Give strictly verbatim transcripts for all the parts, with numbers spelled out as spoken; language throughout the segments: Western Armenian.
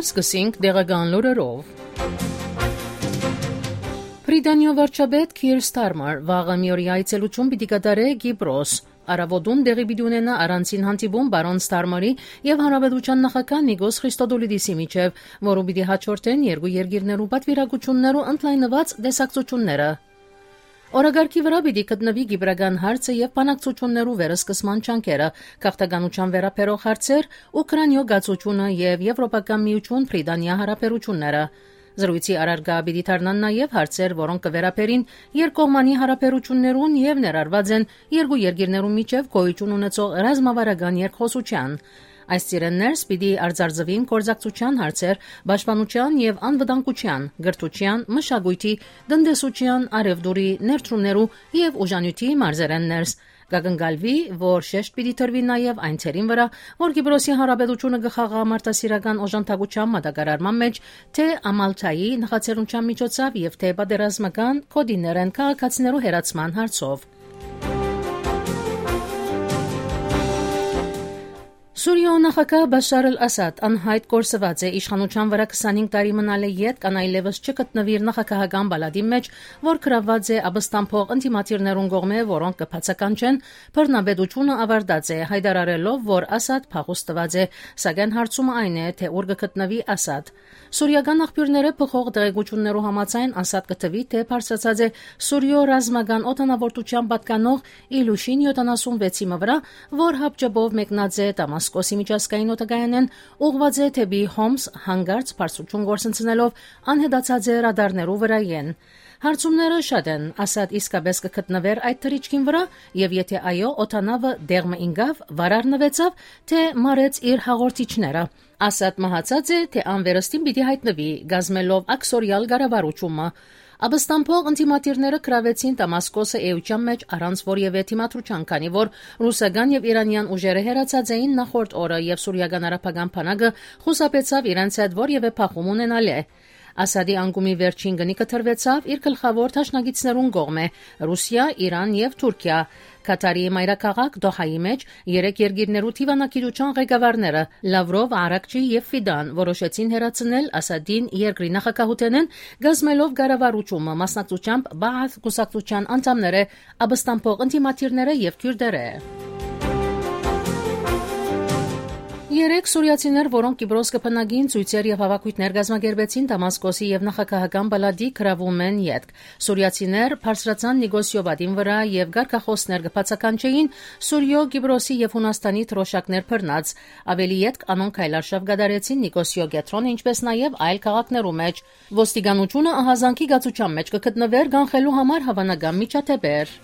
Սկսենք տեղական լուրերով։ Բրիտանիոյ վարչապետ Քիր Ստարմար վաղը մի օրի այցելութիւն պիտի կատարէ Կիպրոս։ Առաւօտուն տեղի պիտի ունենայ առանձին հանդիպում պարոն Ստարմարի եւ հանրապետութեան նախագահ Նիկոս Խրիստոդոլիդիսի միջեւ, որուն պիտի հաջորդեն երկու երկիրներու պատվիրակութիւններու ընդլայնուած տեսակցութիւնները։ Օրակարգի վրայ պիտի գտնուի կիպրական հարցը եւ բանակցութիւններու վերսկսման ջանքերը, գաղթականութեան վերաբերող հարցեր, Ուքրաինիոյ կացութիւնը եւ Եվրոպական միութիւն Բրիտանիա յարաբերութիւնները։ Զրոյցի առարկայ պիտի դառնան նաեւ հարցեր, որոնք կը վերաբերին երկկողմանի յարաբերութիւններուն եւ ներառուած են երկու երկիրներուն միջեւ գոյութիւն ունեցող ռազմավարական երկխօսութեան։ Այս ծիրէն ներս պիտի արձանագրուին գործակցութեան հարցեր պաշտպանութեան եւ անվտանգութեան, կրթութեան, մշակոյթի, տնտեսութեան, առեւտուրի, ներդրումներու եւ ուժանիւթի մարզերէն ներս։ Կակնկալուի, որ շեշտ պիտի դրուի նաեւ այն դերին վրայ, որ Կիպրոսի Հանրապետութիւնը կը խաղայ մարդասիրական օժանդակութեան մատակարարման մէջ թէ Ամալթայի նախաձեռնութեան միջոցով եւ թէ պատերազմական գօտիներէն քաղաքացիներու հեռացման հարցով։ Սուրիոյ նախագահ Բաշար Ալ Ասադ անյայտ կորսուած է իշխանութեան վրայ քսանհինգ տարի մնալէ ետք, ան այլեւս չգտնուի իր նախագահական պալատին մէջ, որ գրաւուած է ապստամբող ընդդիմադիրներուն կողմէ, որոնք կը բացականչեն, բռնապետութիւնը աւարտած է, յայտարարելով, որ Ասադ փախուստ տուած է, սակայն հարցումը այն է, թէ ուր կը գտնուի Ասադ։ Սուրիական աղբիւրներէ բխող տեղեկութիւններու համաձայն, Ասադ կը թուի, թէ բարձրացած է Սուրիոյ ռազմական օդանաւորդութեան պատկանող Իլուշին յոթանասունվեցի մը վրայ, որ հապճեպով մեկնած է Դամասկոսի միջազգային օդակայանէն, ուղղուած է դէպի Հոմս, յանկարծ բարձրութիւն կորսնցնելով անհետացած է ռադարներու վրայէն։ Հարցումները շատ են, Ասադ իսկապէս կը գտնուէր այդ թռիչքին վրայ, եւ եթէ այո, օդանաւը տեղ մը ինկա՞վ, վար առնուեցաւ, թէ մարեց իր հաղորդիչները։ Ասադ մահացած է, թէ անվերստին պիտի յայտնուի, կազմելով աքսորեալ կառավարութիւնը։ Ապստամբող ընդդիմադիրները գրաւեցին Դամասկոսը էութեան մէջ առանց որեւէ դիմադրութեան, քանի որ ռուսական եւ իրանեան ուժերը հեռացած էին նախորդ օրը եւ սուրիական արաբական բանակը խուսափեցաւ իրենց հետ որեւէ բախում ունենալէ։ Ասադի անկումի վերջին կնիքը տրուեցաւ իր գլխաւոր դաշնակիցներուն կողմէ՝ Ռուսիա, Իրան եւ Թուրքիա։ Քաթարի մայրաքաղաք Դոհայի մէջ երեք երկիրներու դիվանագիտութեան ղեկավարները՝ Լավրով, Արաքչի եւ Ֆիդան, որոշեցին հեռացնել Ասադին երկրի նախագահութենէն, կազմելով կառավարութիւնը, մասնակցությամբ Բաաթ կուսակցութեան անդամները, ապստամբող ընդդիմադիրները եւ քիւրտերը։ Երեք սուրիացիներ, որոնք Կիպրոս կը բնակին, ցոյցեր եւ հաւաքոյթներ կազմակերպեցին Դամասկոսի եւ նախագահական պալատի գրաւումէն ետք։ Սուրիացիներ բարձրացան Նիկոսիոյ պատին վրայ եւ կարգախօսներ կը բացականչէին Սուրիոյ, Կիպրոսի եւ Յունաստանի դրօշակներ բռնած։ Աւելի ետք անոնք քայլարշաւ կատարեցին Նիկոսիոյ կեդրոնը, ինչպէս նաեւ այլ քաղաքներու մէջ։ Ոստիկանութիւնը ահազանգի կացութեան մէջ կը գտնուէր կանխելու համար հաւանական միջադէպեր։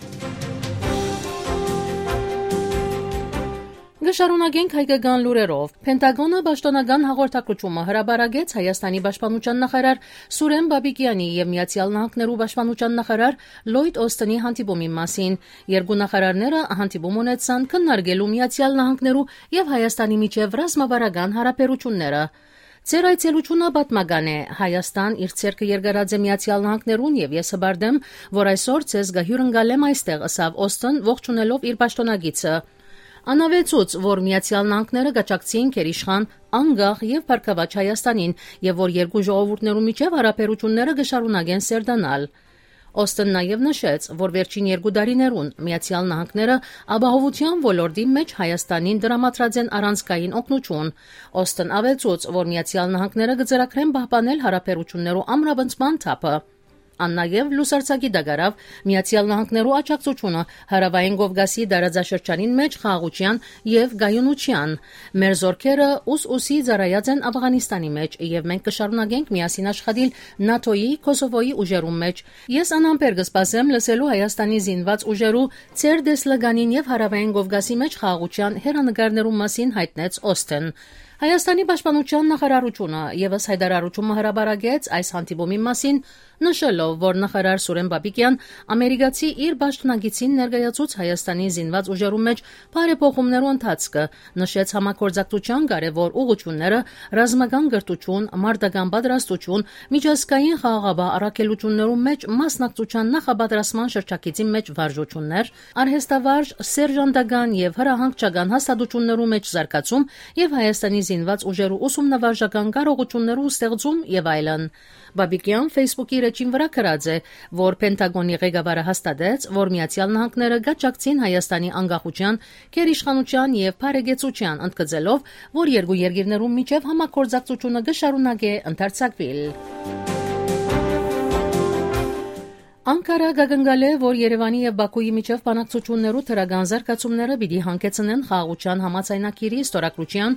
Կը շարունակենք հայկական լուրերով։ Փենտագոնը պաշտոնական հաղորդագրութիւնը հրապարակեց Հայաստանի պաշտպանութեան նախարար Սուրեն Պապիկեանի եւ Միացեալ Նահանգներու պաշտպանութեան նախարար Լոյդ Օսթինի հանդիպումին մասին։ Երկու նախարարները հանդիպում ունեցան քննարկելու Միացեալ Նահանգներու եւ Հայաստանի միջեւ ռազմավարական յարաբերութիւնները։ «Ձեր այցելութիւնը պատմական է։ Հայաստան իր ձեռքը երկարած է Միացեալ Նահանգներուն եւ ես հպարտ եմ, որ այսօր ձեզ կը հիւրընկալեմ այստեղ», ըսաւ Օսթին՝ ողջունելով իր պաշտօնակիցը։ Ան աւելցուց, որ Միացեալ Նահանգները կաջակցին գերիշխան, անկախ եւ բարգաւաճ Հայաստանին եւ որ երկու ժողովուրդներու միջեւ յարաբերութիւնները կը շարունակեն սերտանալ։ Օսթին նաեւ նշեց, որ վերջին երկու տարիներուն Միացեալ Նահանգները ապահովութեան ոլորտի մէջ Հայաստանին տրամադրած են առանցքային օգնութիւն։ Օսթին աւելցուց, որ Միացեալ Նահանգները կը ծրագրեն պահպանել յարաբերութիւններու ամրապնդման թափը։ Ան նաեւ լուսարձակի տակ առաւ Միացեալ Նահանգներու աջակցութիւնը Հարաւային Կովկասի տարածաշրջանին մէջ խաղաղութեան եւ կայունութեան։ «Մեր զօրքերը ուս-ուսի ծառայած են Աֆղանիստանի մէջ եւ մենք կը շարունակենք միասին աշխատիլ նատոյի, Քոսովոյի ուժերուն մէջ։ Ես անհամբեր կը սպասեմ լսելու Հայաստանի զինուած ուժերու ձեր տեսլականին եւ Հարաւային Կովկասի մէջ խաղաղութեան հեռանկարներուն մասին», յայտնեց Օսթին։ Հայաստանի պաշտպանութեան նախարարութիւնը եւս յայտարարութիւն մը հրապարակեց այս հանդիպումին մասին, նշելով, որ նախարար Սուրեն Պապիկեան ամերիկացի իր պաշտոնակիցին ներկայացուց Հայաստանի զինուած ուժերուն մէջ բարեփոխումներու ընթացքը, նշեց համագործակցութեան կարեւոր ուղղութիւնները, ռազմական կրթութիւն, մարտական պատրաստութիւն, միջազգային խաղաղապահ առաքելութիւններու մէջ մասնակցութեան նախապատրաստման շրջագիծին մէջ վարժութիւններ, արհեստավարժ, սերժանտական եւ հրահանգչական հաստատութիւններու մէջ զարգացում եւ Հայաստանի զինուած ուժերու ուսումնավարժական կարողութիւններու ստեղծում եւ այլն։ Պապիկեան Facebook-ի էջին վրայ գրած է, որ Պենտագոնի ղեկավարը հաստատեց, որ Միացեալ Նահանգները կ'աջակցին Հայաստանի անկախութեան, գերիշխանութեան եւ բարեկեցութեան, ընդգծելով, որ երկու երկիրներու միջեւ համագործակցութիւնը կը շարունակէ ընդարձակուիլ։ Անկարա կ'ակնկալէ, որ Երեւանի եւ Բաքուի միջեւ բանակցութիւններու դրական զարգացումները պիտի հանգեցնեն խաղաղութեան համաձայնագիրի ստորագրութեան,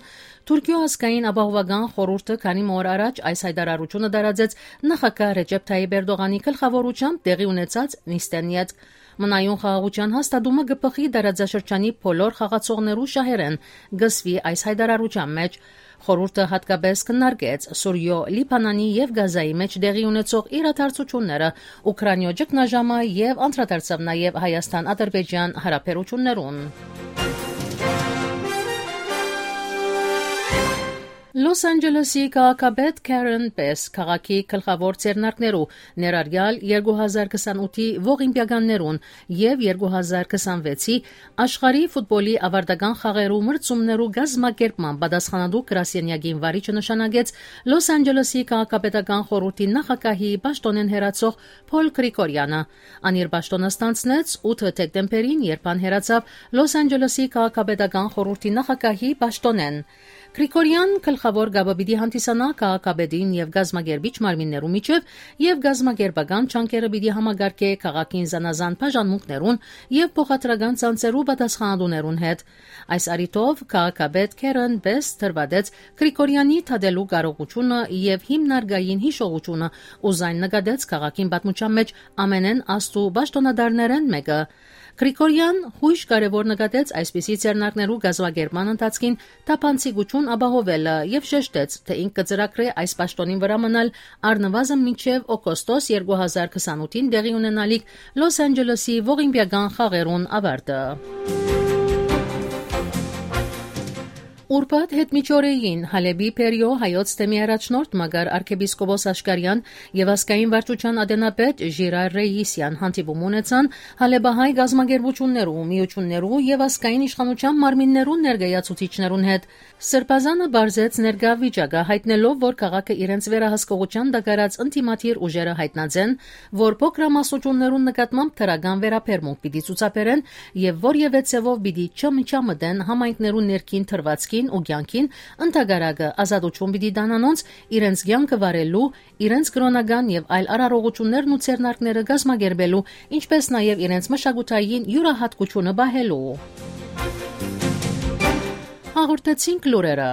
Թուրքիոյ ազգային ապահովական խորհուրդը քանի մը օր առաջ այս յայտարարութիւնը տարածեց նախագահ Ռեջեփ Թայիփ Էրտողանի գլխաւորութեամբ տեղի ունեցած նիստէն ետք։ Մնայուն խաղաղութեան հաստատումը կը բխի տարածաշրջանի բոլոր խաղացողներու շահերէն, կ'ըսուի այս յայտարարութեան մէջ։ Խորհուրդը յատկապէս քննարկեց Սուրիոյ, Լիբանանի եւ Գազայի մէջ տեղի ունեցող իրադարձութիւնները, Ուքրաինոյ ճգնաժամը եւ անդրադարձաւ նաեւ Հայաստան-Ադրբեջան յարաբերութիւններուն։ Լոս Անջելեսի քաղաքապետ Քարեն Պես քաղաքի գլխաւոր ձեռնարկներու, ներառյալ երկու հազար քսանութի ողիմպիականներուն եւ երկու հազար քսանվեցի աշխարհի ֆուտբոլի ավարտական խաղերու մրցումներու կազմակերպման պատասխանատու գրասենյակին վարիչը նշանակեց Լոս Անջելեսի քաղաքապետական խորհրդի նախագահի պաշտօնէն հեռացող Փոլ Գրիգորյանը։ Ան իր պաշտօնը ստանձնեց ութը դեկտեմբերին, երբ ան հեռացաւ Լոս Անջելեսի քաղաքապետական խորհրդի նախագահի պաշտօնէն։ Գրիգորյան գլխաւոր կապը պիտի հանդիսանայ քաղաքապետին եւ կազմակերպիչ մարմիններու միջեւ եւ կազմակերպական ջանքերը պիտի համակարգէ քաղաքին զանազան բաժանմունքներուն եւ փոխադրական ցանցերու պատասխանատուներուն հետ։ Այս առիթով քաղաքապետ Քարեն Պես դրուատեց Գրիգորյանի դատելու կարողութիւնը եւ հիմնարկային յիշողութիւնը ու զայն նկատեց քաղաքին պատմութեան մէջ ամենէն աստու պաշտօնատարներէն մէկը։ Գրիգորյան յոյժ կարեւոր նկատեց այսպիսի ձեռնարկներու կազմակերպման ընթացքին թափանցիկութիւն ապահովելը եւ շեշտեց, թէ ինք կը ծրագրէ այս պաշտօնին վրայ մնալ առնուազն մինչեւ օգոստոս երկու հազար քսանութին տեղի ունենալիք Լոս Անջելեսի ողիմպիական խաղերուն ավարտը։ Ուրբաթ յետմիջօրեին Հալէպի Բերիոյ հայոց թեմի առաջնորդ Մակար արքեպիսկոպոս Աշկարեան եւ ազգային վարչութեան ատենապետ Ժիրայր Ռեյիսեան հանդիպում ունեցան հալէպահայ կազմակերպութիւններու, միութիւններու եւ ազգային իշխանութեան մարմիններուն ներկայացուցիչներուն հետ։ Սրբազանը պարզեց ներկայ վիճակը, յայտնելով, որ քաղաքը իրենց վերահսկողութեան տակ առած ընդդիմադիր ուժերը յայտնած են, որ փոքրամասնութիւններուն նկատմամբ դրական վերաբերմունք պիտի ցուցաբերեն եւ որեւէ ձեւով պիտի չմիջամտեն համայնքներուն ներքին դրուածքին ու կեանքին, ընդհակառակը, ազատութիւն պիտի տան անոնց իրենց կեանքը վարելու, իրենց կրօնական եւ այլ արարողութիւններն ու ձեռնարկները կազմակերպելու, ինչպէս նաեւ իրենց մշակութային իւրայատկութիւնը պահելու։ Հաղորդեցինք լուրերը։